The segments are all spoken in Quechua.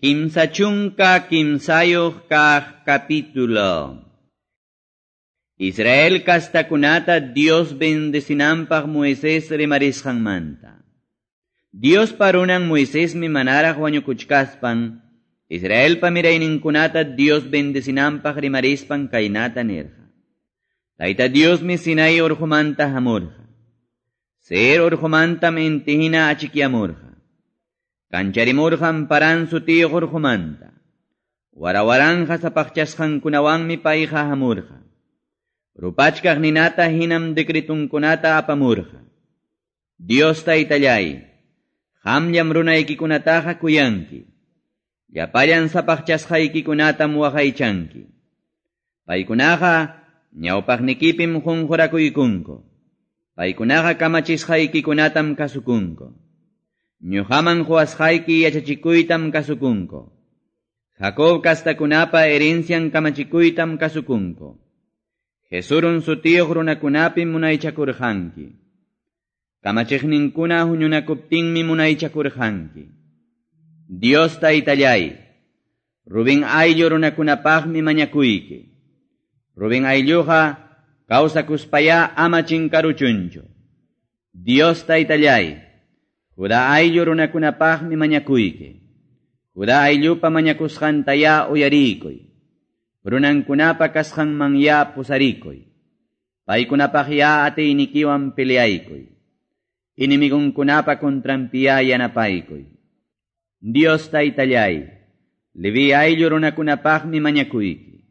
13 kaq capítulo. Israel kastakunata Dios bendecinanpaq Moisés rimarisqanmanta. Dios parunan Moisésmi manaraq wañukuchkaspan, Israelpa mirayninkunata Dios bendecinanpaq rimarispan kaynata nirqa. Tayta Diosmi Sinai urqumanta hamurqa. Seir urqumantam intihina achikyamurqa. Kancharimurqam Paran sutiyuq urqumanta. Warawaranja sapaqchasqankunawanmi payqa hamurqa. Rupachkaq ninata hinam decretunkunata apamurqa. Dios taytallay, qamllam runaykikunataqa kuyanki. Llapallan sapaqchasqaykikunatam waqaychanki. Paykunaqa ñawpaqnikipim qunqurakuykunku. Paykunaqa kamachisqaykikunatam kasukunku. Ñuqaman quwasqayki yachachikuytam kasukunku. Jacob kastakunapa herencian kamachikuytam kasukunku. Jesurun sutiyuq runakunapim munaychakurqanki. Kamachiqninkuna huñunakuptinmi munaychakurqanki. Dios taytallay, Rubén ayllu runakunapaqmi mañakuyki. Rubén aylluqa kawsakuspaya ama chinkaruchunchu. Dios taytallay, Judá ayllu runakunapaqmi mañakuyki. Judá ayllupa mañakusqantaya uyarikuy. Runankunapa kasqanmanya pusarikuy. Paykunapaqya atiynikiwan peleaykuy. Inimigunkunapa contranpiya yanapaykuy. Dios taytallay, Leví ayllu runakunapaqmi mañakuyki.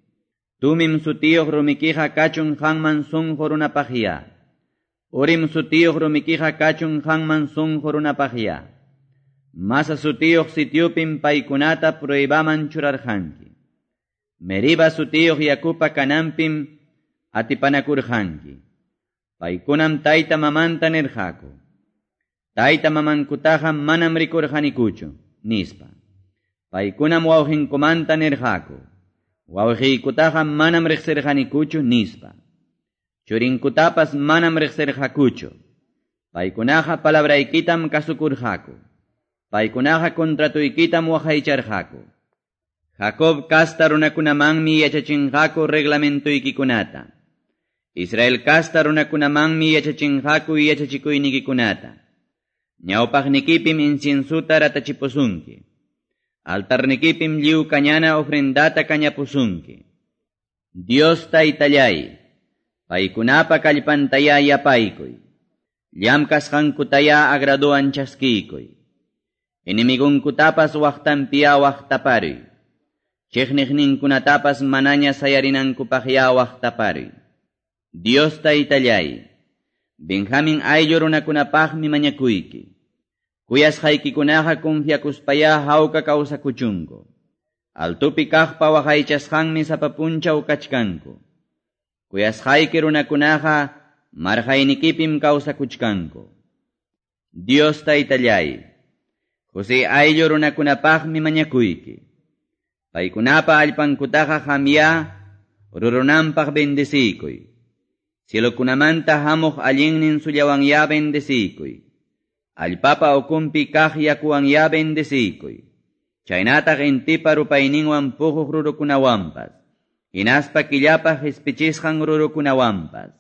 Tumim sutiyuq rumikiqa kachun qanman sunqu runapaqya. Urim sutiyuq rumikiqa kachun qanman sunqu runapaqya. Masa sutiyuq sitiupim paykunata pruebaman churarqanki. Meriba sutiyuq yakupa kananpim atipanakurqanki. Paykunam tayta mamanta nirqaku. Tayta mamankutaqa manam rikurqanikuchu, nispa. Paykunam wawqinkumanta nirqaku. Wawqiykutaqa manam riqsirqanikuchu, nispa. Churinkutapas manam riqsirqakuchu. Paykunaqa palabraykitam kasukurqaku. Paykunaqa contratuykitam waqaycharqaku. Jacob kasta runakunamanmi yachachinqaku reglamentoykikunata. Israel kasta runakunamanmi yachachinqaku yachachikuynikikunata. Ñawpaqnikipim inciensuta ratachipusunki. Altarnikipim lliw kañana ofrendata kañapusunki. Dios taytallay, paykunapa kallpantaya yapaykuy. Llamkasqankutaya agraduan chaskiykuy. Enemigonkutapas waqtanpiya waqtaparuy. Chiqniqninkunatapas manaña sayarinankupaqya waqtaparuy. Dios taytallay, Benjamin ayllu runakunapaqmi mañakuyki. Kuyasqaykikunaqa confiakuspaya hawka kawsakuchunku. Altupi kaqpa waqaychasqanmi sapa punchaw kachkanku. Kuyasqayki runakunaqa marqaynikipim kawsakuchkanku. Dios taytallay, José ayllu runakunapaqmi mañakuyki. Paykunapa allpankutaqa qamya rurunanpaq bendeciykuy. Cielokunamanta hamuq allinnin sullawanya bendeciykuy. Allpapa ukunpi kaq yakuwanya bendeciykuy. Chaynataq intipa rupayninwan puquq rurukunawanpas. Hinaspa killapa qispichisqan rurukunawanpas.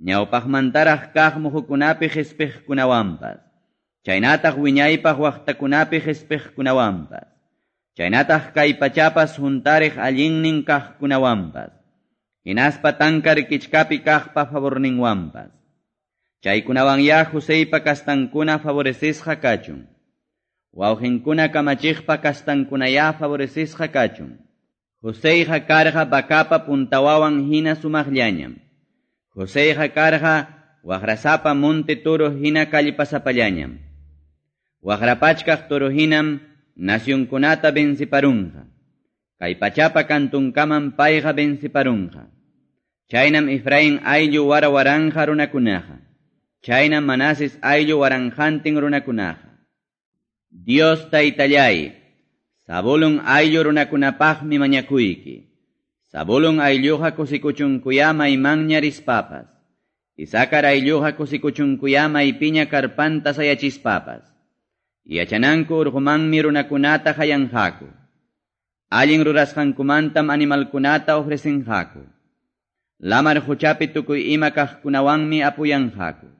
Ñawpaqmantaraq kaq muhukunapi qispiqkunawanpas. Chaynataq wiñaypaq waqtakunapi qispiqkunawanpas. Chaynataq kay pachapas huntariq allinnin kaqkunawanpas. Hinaspa tankar kichkapi kaqpa favorninwanpas. Chaykunawanya Joseypa kastankuna favorecisqa kachun. Wawqinkuna kamachiqpa kastankunaya favorecisqa kachun. Joseyqa karqa vacapa puntawawan hina sumaqllañam. Joseyqa karqa waqrasapa monte toro hina kallpasapallañam. Waqrapachkaq toro hinam nacionkunata venciparunqa. Kay pachapa kantunkaman payqa venciparunqa. Chaynam Efraín ayllu warawaranja runakunaqa. Chaynam Manases ayllu waranjantin runakunaqa. Dios taytallay, Zabulón ayllu runakunapaqmi mañakuyki. Zabulón aylluqa kusikuchunkuya maymanña rispapas. Isakar aylluqa kusikuchunkuya maypiña karpanta sayachispapas. Yachananku urqumanmi runakunata qayanqaku. Allin rurasqankumantam animalkunata ofrecenqaku. Lamar quchapi tukuy ima kaqkunawanmi apuyanqaku.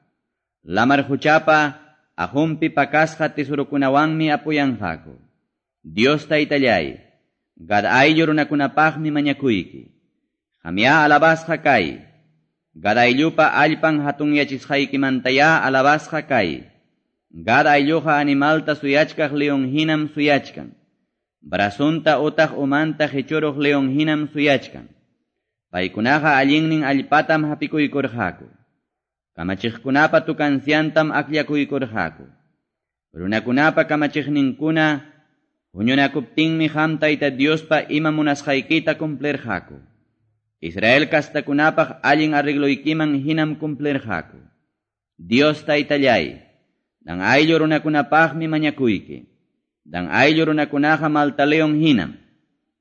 Lamar quchapa aqunpi pakasqa tesorukunawanmi apuyanqaku. Dios Taytallay, Gad ayllu runakunapaqmi mañakuyki. Qamyá alabasqa kay. Gad ayllupa allpan hatunyachisqaykimantayá alabasqa kay. Gad aylluqa animalta suyachkaq leon hinam suyachkan. Brazunta utaq umanta qichuruq leon hinam suyachkan. Paykunaqa allinnin allpatam hapikuykurqaku. Kamachiqkunapa tukanciantam akllakuykurqaku. Runakunapa kamachiqninkuna huñunakuptinmi qam Tayta Diospa ima munasqaykita cumplirqaku. Israel kastakunapaq allin arregloykiman hinam cumplirqaku. Dios Taytallay, Dan ayllu runakunapaqmi mañakuyki. Dan ayllu runakunaqa malta leon hinam.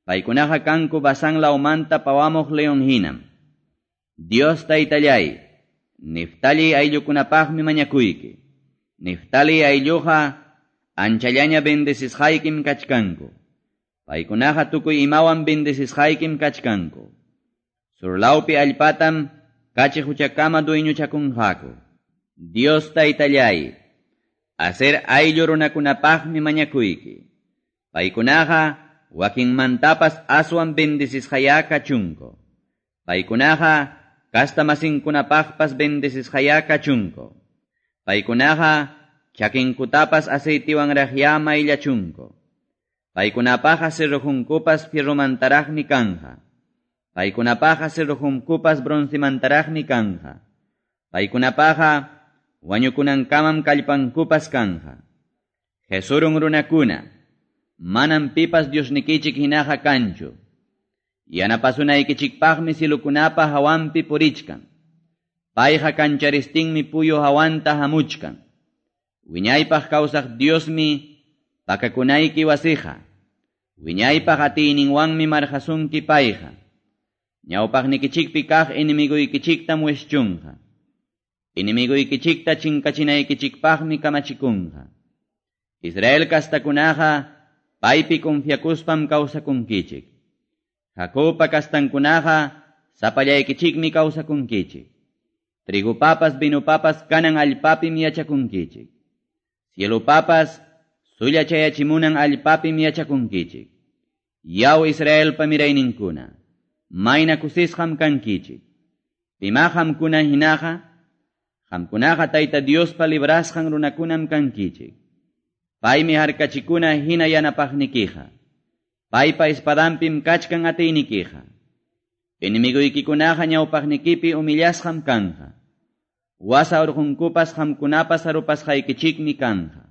Paykunaqa kanku Basán lawmanta pawamuq leon hinam. Dios Taytallay, Neftali ayllukunapaqmi mañakuyki. Neftali aylluqa anchallaña bendecisqaykim kachkanku. Paykunaqa tukuy imawan bendecisqaykim kachkanku. Surlawpi allpatam kachi quchakama dueñochakunqaku. Dios Taytallay, Aser ayllu runakunapaqmi mañakuyki. Paykunaqa wakinmantapas aswan bendecisqayá kachunku. Paykunaqa kastamasinkunapaqpas bendecisqayá kachunku. Paykunaqa chakinkutapas aceitiwanraqyá mayllachunku. Paykunapaqa cerrojunkupas fierromantaraqmi kanja. Paykunapaqa cerrojunkupas broncemantaraqmi kanja. Paykunapaqa wañukunankamam kallpankupas kanja. Jesurun runakuna, manam pipas Diosnikichik hinaqa kanchu. Yanapasunaykichikpaqmi cilukunapa hawanpi purichkan. Payqa kancharistinmi puyu hawanta hamuchkan. Wiñaypaq kawsaq Diosmi pakakunayki wasiqa. Wiñaypaq atiyninwanmi marqasunki payqa. Ñawpaqnikichikpi kaq enemiguykichiktam wischunqa. Enemiguykichikta chinkachinaykichikpaqmi kamachikunqa. Israel kastakunaqa paypi confiakuspam kawsakunkichik. Jacobpa kastankunaqa sapallaykichikmi kawsakunkichik. Trigupapas vinupapas kanan allpapim yachakunkichik. Cielupapas sulla chayachimunan allpapim yachakunkichik. Yaw Israelpa mirayninkuna, mayna kusisqam kankichik. Pima qamkuna hinaqa, qamkunaqa Tayta Diospa librasqan runakunam kankichik. Paymi harkachikuna hina yanapaqnikiqa. Paypa espadampim kachkan atiynikiqa. Enemiguykikunaqa ñawpaqnikipi humillasqam kanja. Wasa urqunkupas qamkunapas arupasqaykichikmi kanja.